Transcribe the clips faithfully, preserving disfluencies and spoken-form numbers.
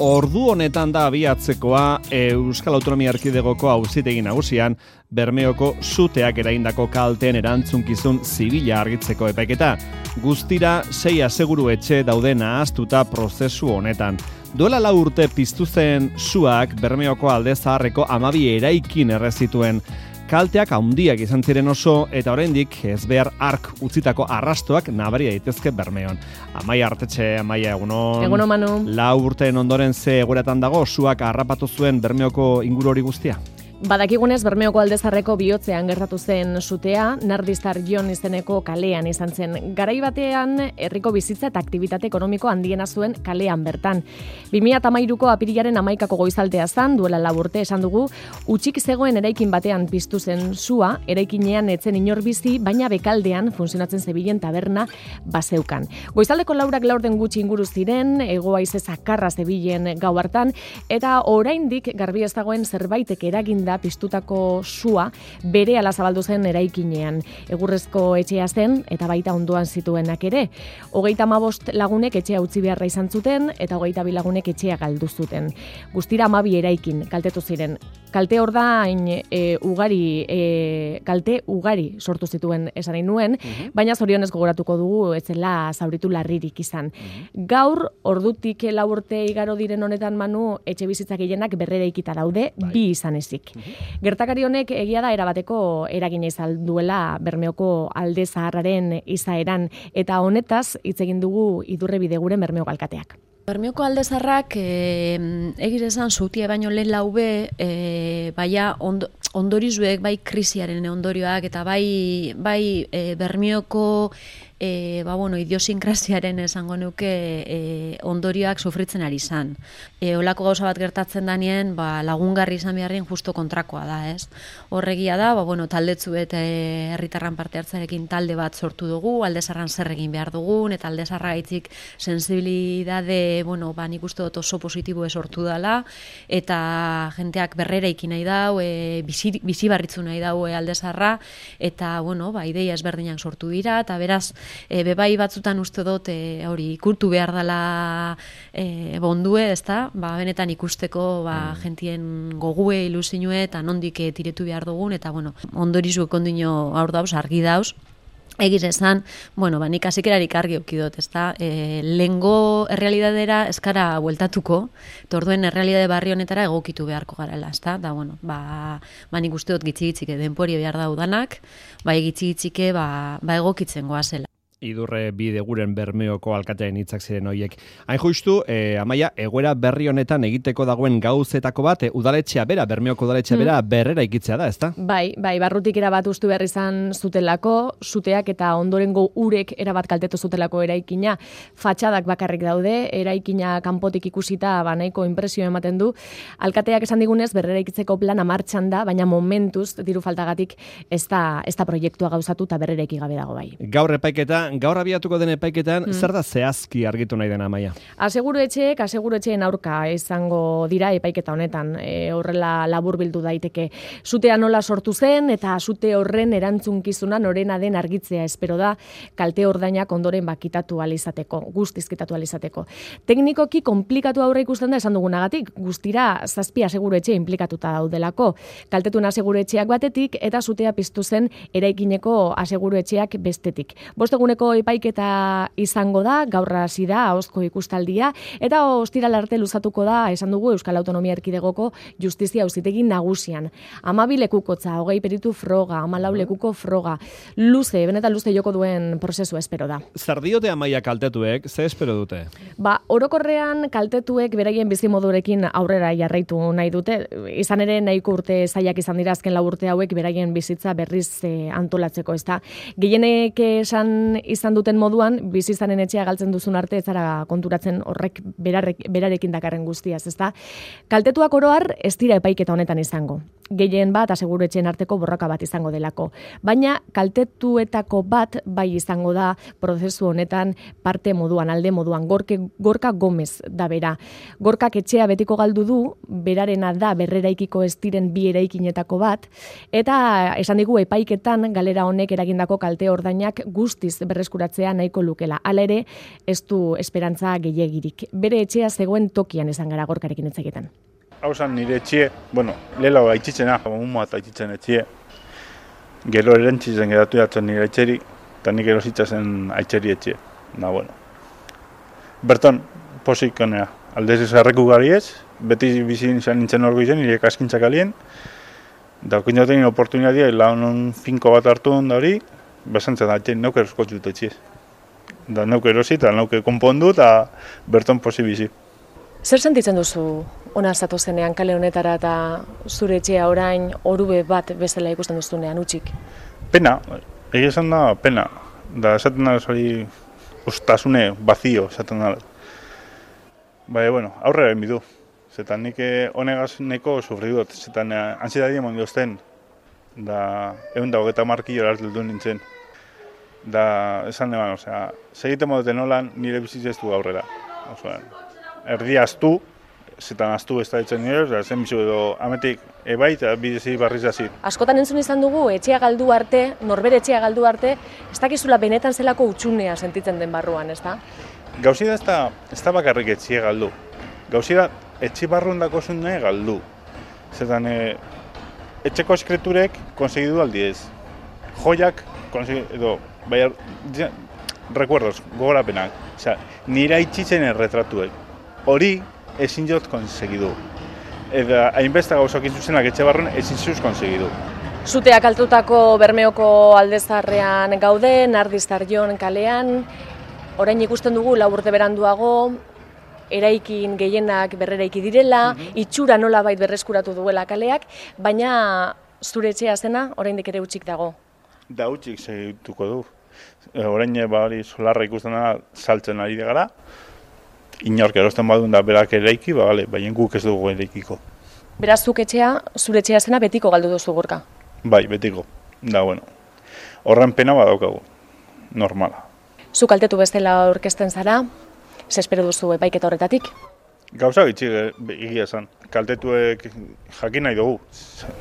ordu honetan da abiatzekoa Euskal Autonomia Erkidegoko Auzitegi Nagusian Bermeoko suteak eraindako kalteen erantzunkizun zibila argitzeko epaiketa. Guztira sei aseguru etxe daude nahaztuta prozesu honetan. Duela lau urte piztu zen suak Bermeoko Alde Zaharreko hamabi eraikin errezituen. Kalteak handiak izan ziren oso eta oraindik ez behar ark utzitako arrastoak nabari daitezke Bermeon. Amaia Artetxe, Amaia, egunon. Egunon, Manu. Lau urteen ondoren ze egoeratan dago suak harrapatu zuen Bermeoko inguru hori guztia? Badakigunez, Bermeoko Alde Zaharreko bihotzean gertatu zen sutea, Nardiztar Jon izeneko kalean izan zen. Garai batean, herriko bizitza eta aktibitate ekonomiko handiena zuen kalean bertan. bi mila hamairuko apirilaren hamaikako goizaltea zan, duela lau urte esan dugu, utzik zegoen eraikin batean piztu zen sua, eraikinean etzen inor bizi, baina bekaldean funtzionatzen zebilen taberna bazeukan. Goizaldeko laurak laurden gutxi inguru ziren, hego haize zakarra zebilen gau hartan, eta oraindik garbi ez dagoen zerbaitek eraginda piztutako sua bere ala zabaldu zen eraikinean. Egurrezko etxea zen eta baita ondoan zituenak ere. Hogeita hamabost lagunek etxea utzi beharra izan zuten eta hogeita bi lagunek etxea galdu zuten. Guztira hamabi eraikin kaltetu ziren. Kalte ordain e, ugari e, kalte ugari sortu zituen esan nahi nuen, uh-huh. baina zorionez gogoratuko dugu ez zela zauritu larririk izan. Uh-huh. Gaur ordutik lau urte igaro diren honetan, Manu, etxe bizitzak gehienak berreraikita daude, bai. bi izan ezik. Uh-huh. Gertakari honek egia da erabateko eragina izan duela Bermeoko Alde Zaharraren izaeran eta honetaz hitz egin dugu Idurre Bideguren Bermeoko alkateak. Bermeoko Alde Zaharrak eh, egiz esan zutie baino lehen laube eh, baina ondo, ondorizuek bai krisiaren ondorioak eta bai, bai eh, Bermeoko E, ba, bueno, idiosinkrasiaren esango nuke e, ondorioak sufritzen ari izan. E, olako gauza bat gertatzen danien, ba, lagungarri izan beharren justo kontrakoa da, ez? Horregia da, ba, bueno, taldetzu eta herritarran parte hartzarekin talde bat sortu dugu, Alde Zaharran zer egin behar dugun, eta Alde Zaharra gaitzik sensibilidade, bueno, ba, nik uste dut oso positibo sortu dela, eta jenteak berrera ikin nahi dau, e, bizi, bizi barritzu nahi dau e, Alde Zaharra, eta, bueno, ba, ideia ezberdinak sortu dira, eta beraz, E, bebai batzutan uste dut e, hori ikurtu behar dela e, bondue, ezta? Ba, benetan ikusteko ba, mm. jentien gogue, ilusinue eta nondik e, tiretu behar dugun, eta bueno, ondorizuek ondino aur dauz, argi dauz. Egiz esan, bueno, ba, nik azikerarik argi okidot, ezta? E, lengo errealidadera eskara bueltatuko, torduen errealidade barri honetara egokitu beharko garela, ezta? Da, bueno, ba, ba nik uste dut gitzi-gitzike denpori behar daudanak, ba, gitzi-gitzike ba, ba egokitzen goazela. Idurre Bideguren Bermeoko alkatearen hitzak ziren horiek. Hain justu, eh, Amaia, egoera berri honetan egiteko dagoen gauzetako bat, eh, udaletxea bera, Bermeoko udaletxea bera, mm. berrera ikitzea da, ezta? Bai, bai, barrutik erabat ustu behar izan zutelako, suteak eta ondorengo urek erabat kaltetu zutelako eraikina, fatxadak bakarrik daude, eraikina kanpotik ikusita banaiko inpresio ematen du. Alkateak esan digunez, berrera ikitzeko plana martxan da, baina momentuz, diru faltagatik, ez da, ez da proiektua gauzatu eta berrera ikigabe dago bai. Gaur epaiketa gaur abiatuko den epaiketan, mm. zer da zehazki argitu nahi dena, Amaia? Aseguru etxeek, aseguru etxeen aurka izango dira epaiketa honetan, e, horrela labur bildu daiteke. Sutea nola sortu zen eta sute horren erantzunkizuna norena den argitzea espero da, kalte ordainak ondoren bakitatu alizateko, guztiz kitatu alizateko. Teknikoki komplikatu aurre ikusten da esan dugunagatik, guztira zazpi aseguru etxe implikatuta daudelako. Kaltetun aseguru etxeak batetik eta sutea piztu zen eraikineko aseguru etxeak bestetik. Bost eguneko epaiketa izango da, gaur hasi da ahozko ikustaldia, eta ostiral arte luzatuko da, esan dugu Euskal Autonomia Erkidegoko Justizia Auzitegi Nagusian. Hamabi lekukotza, hogei peritu froga, hamalau lekuko froga, luze, benetan luze joko duen prozesu espero da. Zer diote, Amaia, kaltetuek, ze espero dute? Ba, orokorrean kaltetuek beraien bizimodurekin aurrera jarraitu nahi dute, izan ere nahiko urte zaiak izan dira azken lau urte hauek beraien bizitza berriz eh, antolatzeko, ezta. Gehienek esan izan duten moduan, bizi izanen etxea galtzen duzun arte ez zara konturatzen horrek berarek, berarekin dakarren guztiaz, ezta? Kaltetuak oroar ez dira epaiketa honetan izango. Gehien bat aseguru etxeen arteko borroka bat izango delako. Baina kaltetuetako bat bai izango da prozesu honetan parte moduan, alde moduan, gorke, Gorka Gomez da bera. Gorkak etxea betiko galdu du, berarena da berreraikiko ez diren bi eraikinetako bat, eta esan digu epaiketan galera honek eragindako kalte ordainak guztiz berre berreskuratzea nahiko lukela. Hala ere, ez du esperantza gehiegirik. Bere etxea zegoen tokian izan gara Gorkarekin hitz egiten. Hau zan nire etxie, bueno, lehela aitzitzena, mumoa eta aitzitzen etxie. Gero erentzitzen geratu jatzen nire etxeri, eta nik erositzazen aitxeri etxie. Na, bueno. Berton, posik honea, aldez ezarreku gari ez, beti bizin izan nintzen orgo izan, nire kaskintzak alien, da okintaten oportunitatea, launon finko bat hartu da hori, besantzen da, etxen neuke eroskotzu dut etxiez. Da neuke erosi eta neuke konpondu eta berton posi bizi. Zer sentitzen duzu ona zatu zenean kale honetara eta zure etxea orain orube bat bezala ikusten duzunean utzik? Pena, egia esan da pena. Da esaten da hori ustasune bazio esaten da. Baina, bueno, aurrera egin bidu. Zetan nik honegaz neko sufri dut. Zetan ansiedadi emon diozten. Da egun da hogeta markillo hartu nintzen. Da esan eban, osea, segite modeten nolan nire bizitzez du aurrera. Osea, erdi aztu, zetan aztu ez da ditzen nire, da zen bizu edo ametik ebai eta bidezi barriz azit. Askotan entzun izan dugu, etxea galdu arte, norbere etxea galdu arte, ez dakizula benetan zelako utxunea sentitzen den barruan, ez da? Gauzi da ez da, ez da bakarrik etxea galdu. Gauzi da, etxe barruan dako zune galdu. Zetan, e, etxeko eskreturek konsegidu aldiez. Joiak, edo, bai, recuerdos, gogorapenak. Osea, nire haitxitzen erretratuek. Hori ezin jot konsegidu. Eta hainbeste gauzak izuzenak etxe barruan ezin zuz konsegidu. Zuteak altutako Bermeoko aldezarrean gaude, Nardiztarjon kalean, orain ikusten dugu lau urte beranduago, eraikin gehienak berreraiki direla, mm-hmm. itxura nolabait berreskuratu duela kaleak, baina zure etxea zena oraindik ere hutsik dago. Da hutsik segituko du. Orain ba hori solarra ikusten da saltzen ari gara. Inork erosten badun da berak eraiki, ba bale, baina guk ez dugu eraikiko. Beraz zuk etxea, zure etxea zena betiko galdu duzu Gorka. Bai, betiko. Da bueno. Horren pena badaukagu. Normala. Zu kaltetu bestela aurkezten zara, ze espero duzu epaiketa horretatik? Gauza gitxi egia esan. Kaltetuek jakin nahi dugu.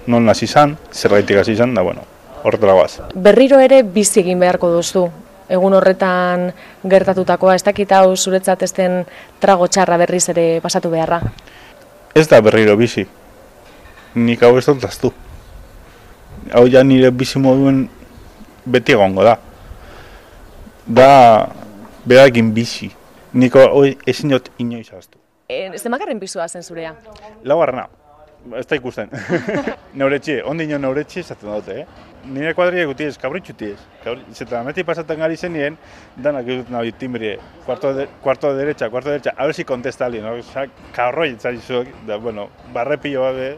Non hasi izan, zergaitik hasi izan, da bueno, horretara guaz. Berriro ere bizi egin beharko duzu. Egun horretan gertatutakoa, ez dakit hau zuretzat ez den trago txarra berriz ere pasatu beharra? Ez da berriro bizi. Nik hau ez dut aztu. Hau ja nire bizi moduen beti egongo da. Da berakin bizi. Niko ezin dut inoiz aztu. E, Zemakarren pisua zen zurea? Laugarrena. Ez da ikusten. Neuretxe, ondino neuretxe esaten dute, eh? Nire kuadria gutiez, kabritxutiez. Zeta meti pasatzen gari zen nien, danak egiten nahi timbrie, cuarto de, cuarto de derecha, cuarto de derecha, a ver si contesta alguien, no? Osa, kaurroi etzari zuek, da, bueno, barrepillo babe,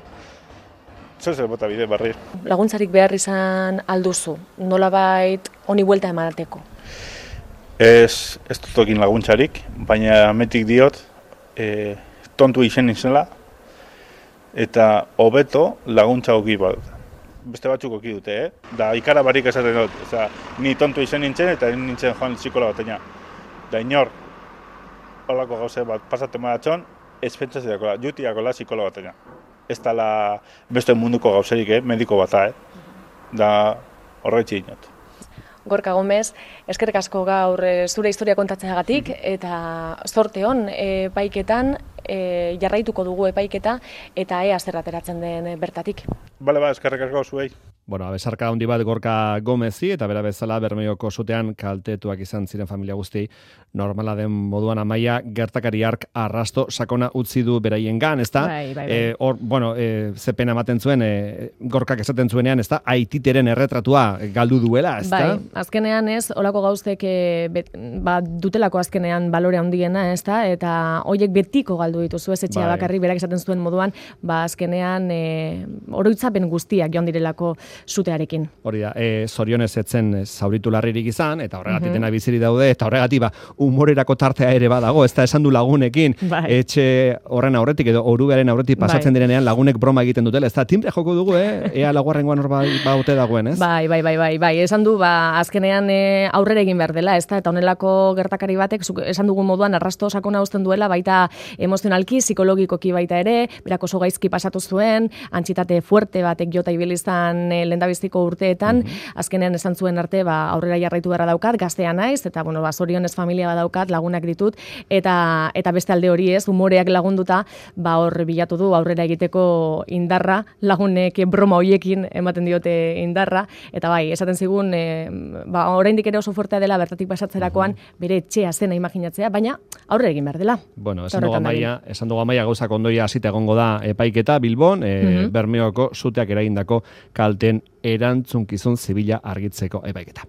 zozer bota bide, barri. Laguntzarik behar izan alduzu, nolabait honi buelta emanateko? Ez, ez dutokin laguntzarik, baina metik diot, e, tontu izen izela, eta hobeto laguntza oki bat. Beste batzuk oki dute, eh? Da ikara barik esaten dut, oza, ni tontu izen nintzen eta nintzen joan psikola bateina. Da inor, holako gauze bat pasatzen badatxon, ez pentsatzeakola, jutiakola psikola bateina. Ez dala beste munduko gauzerik, eh? Mediko bata, eh? Da horretxe inot. Gorka Gomez, eskerrik asko gaur zure historia kontatzeagatik eta zorte hon epaiketan e, jarraituko dugu epaiketa eta ea zer ateratzen den bertatik. Bale ba, eskerrik asko zuei. Bueno, besarka handi bat Gorka Gomezi eta bera bezala Bermeoko sutean kaltetuak izan ziren familia guzti normala den moduan Amaia gertakari hark arrasto sakona utzi du beraiengan, ezta? Bai, bai, bai. E, or, bueno, e, ze pena ematen zuen, e, Gorkak esaten zuenean, ezta? Aititeren erretratua galdu duela, ezta? Bai, azkenean ez, olako gauztek e, bet, ba, dutelako azkenean balore handiena, ezta? Eta hoiek betiko galdu dituzu ez etxea bai. Bakarrik berak esaten zuen moduan, ba azkenean e, oroitzapen guztiak joan direlako sutearekin. Hori da, e, zorionez etzen zauritu larririk izan, eta horregatik mm-hmm. dena biziri daude, eta horregatik ba, humorerako tartea ere badago, ez da esan du lagunekin, bai. Etxe horren aurretik edo orubearen aurretik pasatzen bai. Direnean lagunek broma egiten dutela, ez da timbre joko dugu, eh? Ea laguarrengoan hor baute dagoen, ez? Bai, bai, bai, bai, bai, esan du, ba, azkenean e, aurrera egin behar dela, ez da, eta honelako gertakari batek, esan dugun moduan arrasto sakona uzten duela, baita emozio emozionalki, psikologikoki baita ere, berak oso gaizki pasatu zuen, antxitate fuerte batek jota ibilizan e, lendabiziko urteetan, mm-hmm. azkenean esan zuen arte, ba, aurrera jarraitu beharra daukat, gaztea naiz, eta bueno, ba, zorionez familia badaukat, lagunak ditut, eta eta beste alde hori ez, umoreak lagunduta, ba, hor bilatu du aurrera egiteko indarra, lagunek broma hoiekin ematen diote indarra, eta bai, esaten zigun, e, ba, oraindik ere oso fortea dela bertatik pasatzerakoan, bere etxea zena imaginatzea, baina aurre egin behar dela. Bueno, esan dugu amaia, esan dugu amaia gauzak ondoia hasita egongo da epaiketa Bilbon, e, mm-hmm. Bermeoko suteak eragindako kalten erantzunkizun zibila argitzeko epaiketa.